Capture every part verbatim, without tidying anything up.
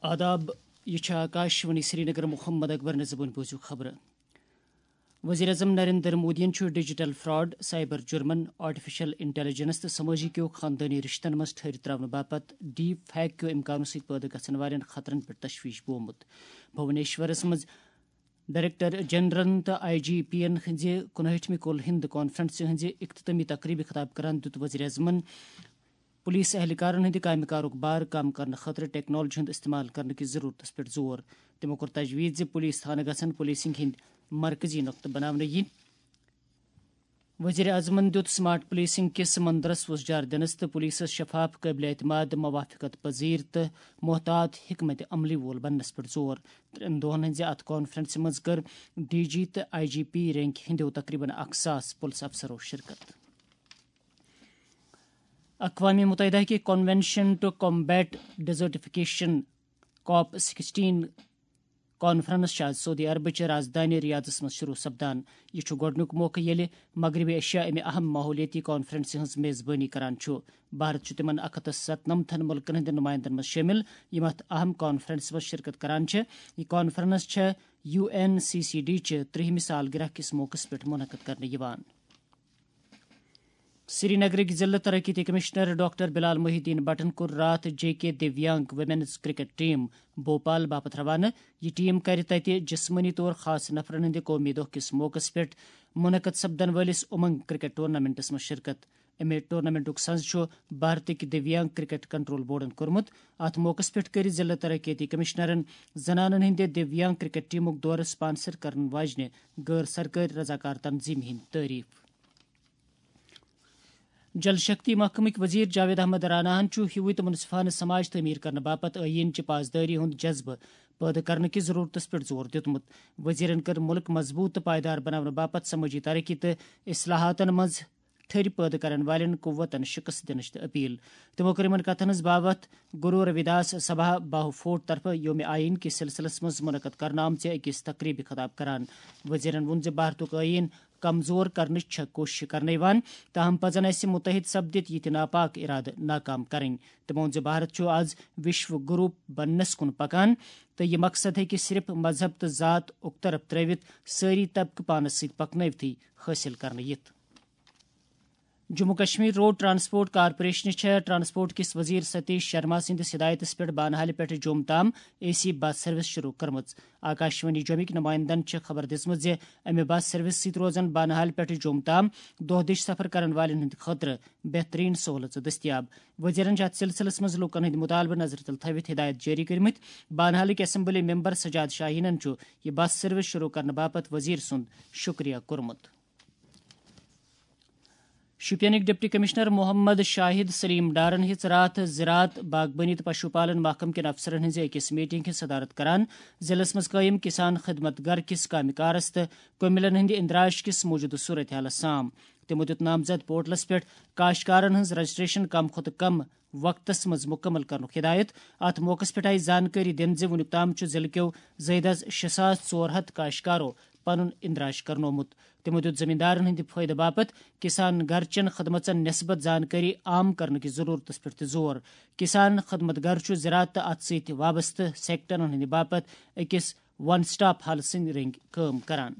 آداب، یہِ چھِ آکاشوانی سرینگر۔ محمد اکبر نظبن بوٗزِو خبرٕ۔ وزیر اعظم نریندر مودیَن چھُ digital fraud, cyber German, artificial intelligence تہٕ سمٲجی کیو خاندٲنی رشتن منٛز ٹھٔہرِتھ تراونہٕ باپتھ ڈیپ فیک کیو امکانو سۭتۍ پٲدٕ گژھن والٮ۪ن خطرن پٮ۪ٹھ تشویش بومُت۔ بھونیشورس منٛز ڈائریکٹر جنرلن تہٕ آئی جی پیَن ہٕنٛزِ کُنہٲٹھمہِ کُل ہند کانفرنسہِ ہٕنٛزِ اختتٲمی تقریبہِ خطاب کران دیُت وزیر اعظمن پولیس اہلکارن ہٕنٛدِ کامہِ کارُک بار کم کرنہٕ خٲطرٕ ٹیکنالوجی ہُنٛد استعمال کرنہٕ کِس ضروٗرتس پٮ۪ٹھ زور۔ تِمو کوٚر تجویز زِ پولیس تھانہٕ گژھن پولیسنگ ہٕنٛدۍ مرکزی نقطہٕ بناونہٕ یِنۍ۔ وزیر اعظمن دیُت سمارٹ پولیسنگ کِس مندرس وۄزجار دِنس تہٕ پولیسس شفاف، قٲبلِ اعتماد، موافقت پذیر تہٕ محتاط حکمت عملی وول بننس پٮ۪ٹھ زور۔ ترٛٮ۪ن دۄہن ہٕنٛزِ اتھ کانفرنسہِ منٛز کٔر ڈی جی تہٕ آئی جی پی رینک ہٕنٛدیو تقریباً اکھ ساس پُلس افسرو شرکت۔ اقوام متحدہ کہِ Convention to Combat Desertification، COP sixteen conference چھِ آز سعودی عربٕچ رازدٲنۍ ریاضس منٛز شروع سپدان۔ یہِ چھُ گۄڈٕنیُک موقعہٕ ییٚلہِ مغربی ایشیا امہِ اہم ماحولیٲتی کانفرنسہِ ہٕنٛز میزبٲنی کران چھُ۔ بھارت چھُ تِمن اکھ ہتھ تہٕ ستنمتھن مُلکن ہٕنٛدٮ۪ن نُمایندن منٛز شٲمِل، یِم اتھ اہم کانفرنسہِ منٛز شرکت کران چھِ۔ یہِ کانفرنس چھےٚ U N C C D چہِ ترٛہمہِ سالگرہ کِس موقعس پٮ۪ٹھ منعقد کرنہٕ یِوان۔ سرینگرٕکۍ ضلع ترقیتی کمشنر ڈاکٹر بلال محی الدین بٹن کوٚر راتھ J K Divyang women's cricket team Bhopal باپتھ روانہٕ۔ یہِ ٹیم کرِ تتہِ جسمٲنی طور خاص نفرن ہٕنٛدِ قومی دۄہ کِس موقعس پٮ۪ٹھ منعقد سپدن وٲلِس امنگ کرکٹ ٹورنامنٹس منٛز شرکت۔ امہِ ٹورنامنٹُک سنز چھُ بھارتٕکۍ دیویانگ کرکٹ کنٹرول بورڈن کوٚرمُت۔ اتھ موقعس پٮ۪ٹھ کٔرۍ ضلع ترقیتی کمشنرن زنانن ہٕنٛدِ دیویانگ کرکٹ ٹیمُک دورٕ سپانسر کرن واجنہِ غٲر سرکٲرۍ رضاکار تنظیمہِ ہٕنٛدۍ تعریف۔ جل شکتی محکمٕکۍ وزیر جاوید احمد راناہن چھُ ہیوٗوٕے تہٕ منصفانہٕ سماج تعمیٖر کرنہٕ باپتھ ٲیٖن چہِ پاسدٲری ہُنٛد جذبہٕ پٲدٕ کرنہٕ کِس ضروٗرتس پٮ۪ٹھ زور دیُتمُت۔ وزیرن کٔر مُلک مضبوٗط تہٕ پائیدار بناونہٕ باپتھ سمٲجی ترقی تہٕ اصلاحاتن منٛز ٹھٔرۍ پٲدٕ کرن والٮ۪ن قوتن شکست دِنٕچ تہِ اپیل۔ تِمو کٔر یِمن کتھن ہٕنٛز باوتھ گرو رویداس سبھا باہو فورٹ طرفہٕ یوم آئین کِس سلسلس منٛز منعقد کرنہٕ آمژِ أکِس تقریبہِ خطاب کران۔ وزیرن ووٚن زِ بھارتُک ٲیٖن کمزور کرنٕچ چھےٚ کوٗشش کرنہٕ یِوان، تاہم پزن اسہِ مُتحد سپدِتھ یِتھۍ ناپاک ارادٕ ناکام کرٕنۍ۔ تٔمۍ ووٚن زِ بھارت چھُ از وشو گروپ بننس کُن پکان تہٕ یہِ مقصد ہیٚکہِ صرف مذہب تہٕ ذات اُکطرف ترٲوِتھ سٲری طبقہٕ پانس سۭتۍ پکنٲوتھٕے حٲصِل کرنہٕ یِتھ۔ جموں کشمیر روڈ ٹرانسپورٹ کارپوریشنہِ چھےٚ ٹرانسپورٹ کِس وزیر ستیش شرما سٕنٛدِس ہدایتس پٮ۪ٹھ بانہالہِ پٮ۪ٹھ جوٚم تام اے سی بس سروس شروع کٔرمٕژ۔ آکاشوانی جوٚمِکۍ نمائندن چھےٚ خبر دِژمٕژ زِ امہِ بس سروس سۭتۍ روزن بانہالہِ پٮ۪ٹھ جوٚم تام دۄہ دِش سفر کرن والٮ۪ن ہٕنٛدِ خٲطرٕ بہترین سہولژٕ دٔستیاب۔ وزیرن چھِ اتھ سلسلس منٛز لوٗکن ہٕنٛدۍ مطالبہٕ نظرِ تل تھٲوِتھ ہدایت جٲری کٔرمٕتۍ۔ بانہالٕکۍ اسمبلی ممبر سجاد شاہینن چھُ یہِ بس سروس شروع کرنہٕ باپتھ وزیر سُنٛد شُکریہ کوٚرمُت۔ شوپینٕکۍ ڈپٹی کمشنر محمد شاہد سلیم ڈارن ہیٚژ راتھ زراعت، باغبٲنی تہٕ پشو پالن محکمہٕ کٮ۪ن افسرن ہٕنٛزِ أکِس میٹنگ ہٕنٛز صدارت کران ضلعس منٛز قٲیِم کسان خدمت گھر کِس کامہِ کارس تہٕ کٔمِلن ہٕنٛدِ اندراج کِس موٗجوٗدٕ صورت حالس سام۔ تِمو دیُت نامزد پورٹلس پٮ۪ٹھ کاشتکارن ہٕنٛز رجسٹریشن کم کھۄتہٕ کم وقتس منٛز مُکمل کرنُک ہدایت۔ اتھ موقعس پٮ۪ٹھ آیہِ زانکٲری دِنہٕ زِ وُنیُک تام چھُ ضلعہٕ کٮ۪و زٕے دس شےٚ ساس ژور ہتھ کاشتکارو پنُن اندراج کرنومُت۔ تِمو دیُت زمیٖندارن ہٕنٛدِ فٲیدٕ باپتھ کسان گھر چٮ۪ن خدمژن نسبت زانکٲری عام کرنہٕ کِس ضروٗرتس پٮ۪ٹھ تہِ زور۔ کسان خدمت گھر چھُ زراعت تہٕ اتھ سۭتۍ وابستہٕ سیکٹرن ہٕنٛدِ باپتھ أکِس ون سٹاپ ہل سٕنٛدۍ رٔنٛگۍ کٲم کران۔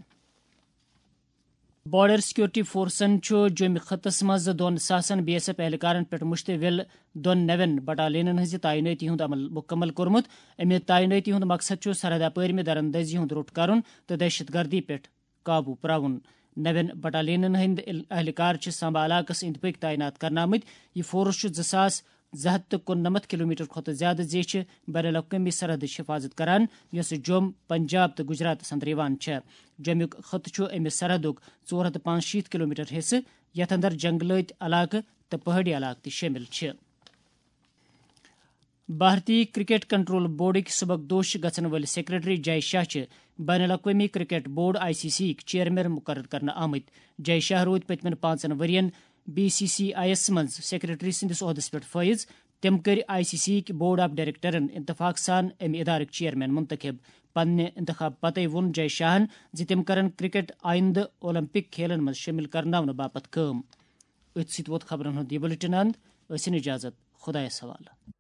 بارڈر سیکورٹی فورسن چھُ جوٚمہِ خطس منٛز دۄن ساسن بی ایس ایف اہلکارن پٮ۪ٹھ مشتمل دۄن نوٮ۪ن بٹالینن ہٕنٛزِ تعینٲتی ہُنٛد عمل مُکمل کوٚرمُت۔ امہِ تعینٲتی ہُنٛد مقصد چھُ سرحد اپٲرۍ مہِ درندٲزی ہُنٛد روٚٹ کرُن تہٕ دہشت گردی پٮ۪ٹھ قابو پراوُن۔ نوٮ۪ن بٹالینن ہٕنٛدۍ اہلکار چھِ سامبا علاقس أنٛدۍ پٔکۍ تعینات کرنہٕ آمٕتۍ۔ یہِ فورس چھُ زٕ ساس زٕ ہتھ تہٕ کُننمتھ کلومیٹر کھۄتہٕ زیادٕ زیچھِ بین الاقوٲمی سرحدٕچ حفاظت کران، یۄسہٕ جوٚم، پنجاب تہٕ گجراتس اندر یِوان چھےٚ۔ جوٚمیُک خطہٕ چھُ أمِس سرحدُک ژور ہتھ تہٕ پانٛژشیٖتھ کلومیٹر حصہٕ، یتھ اندر جنگلٲتۍ علاقہٕ تہٕ پہٲڑی علاقہٕ تہِ شٲمِل چھِ۔ بھارتی کرکٹ کنٹرول بورڈٕکۍ سبکدوش گژھن وٲلۍ سیکرٹری جے شاہ چھِ بین الاقوٲمی cricket board, I C C یٕکۍ چیئرمین مقرر کرنہٕ آمٕتۍ۔ جے شاہ روٗدۍ پٔتمٮ۪ن پانٛژن ؤرین بی سی سی آئی یَس منٛز سیکرٹری سٕنٛدِس عہدس پٮ۪ٹھ فٲیِض۔ تٔمۍ کٔرۍ آئی سی سی یٕکۍ بورڈ آف ڈائریکٹرن انتفاق سان امہِ ادارٕکۍ چیئرمین منتخب۔ پننہِ انتخاب پتے ووٚن جے شاہن زِ تِم کرن کرکٹ آئندٕ اولمپک کھیلن منٛز شٲمِل کرناونہٕ باپتھ کٲم۔ أتھۍ سۭتۍ ووت خبرن ہُنٛد یہِ بُلٹن اند۔ ٲسِن اجازت، خۄدایس حوالہٕ۔